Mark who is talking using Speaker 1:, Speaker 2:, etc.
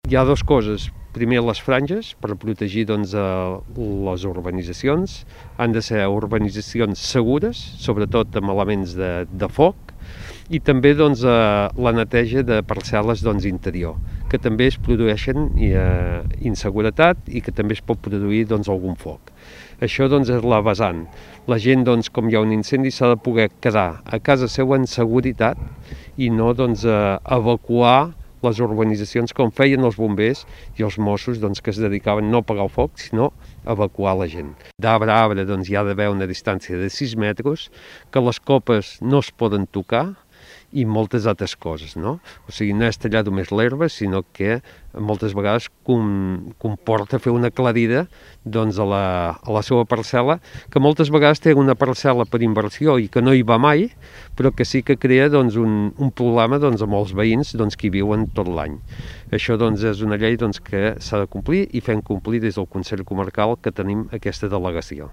Speaker 1: Hi ha dues coses. Primer, les franges, per protegir doncs, les urbanitzacions. Han de ser urbanitzacions segures, sobretot amb elements de foc, i també doncs, la neteja de parcel·les doncs, interior, que també es produeixen inseguretat i que també es pot produir doncs, algun foc. Això doncs, és la vessant. La gent, doncs, com hi ha un incendi, s'ha de poder quedar a casa seva en seguretat i no doncs, evacuar les urbanitzacions com feien els bombers i els Mossos doncs, que es dedicaven no a apagar el foc, sinó a evacuar la gent. D'arbre a arbre doncs, hi ha d'haver una distància de 6 metres, que les copes no es poden tocar i moltes altres coses, no? O sigui, no és tallar només l'herba, sinó que moltes vegades comporta fer una aclarida doncs, a la seva parcel·la, que moltes vegades té una parcel·la per inversió i que no hi va mai, però que sí que crea doncs, un problema doncs, amb els veïns doncs, que hi viuen tot l'any. Això doncs, és una llei doncs, que s'ha de complir i fem complir des del Consell Comarcal que tenim aquesta delegació.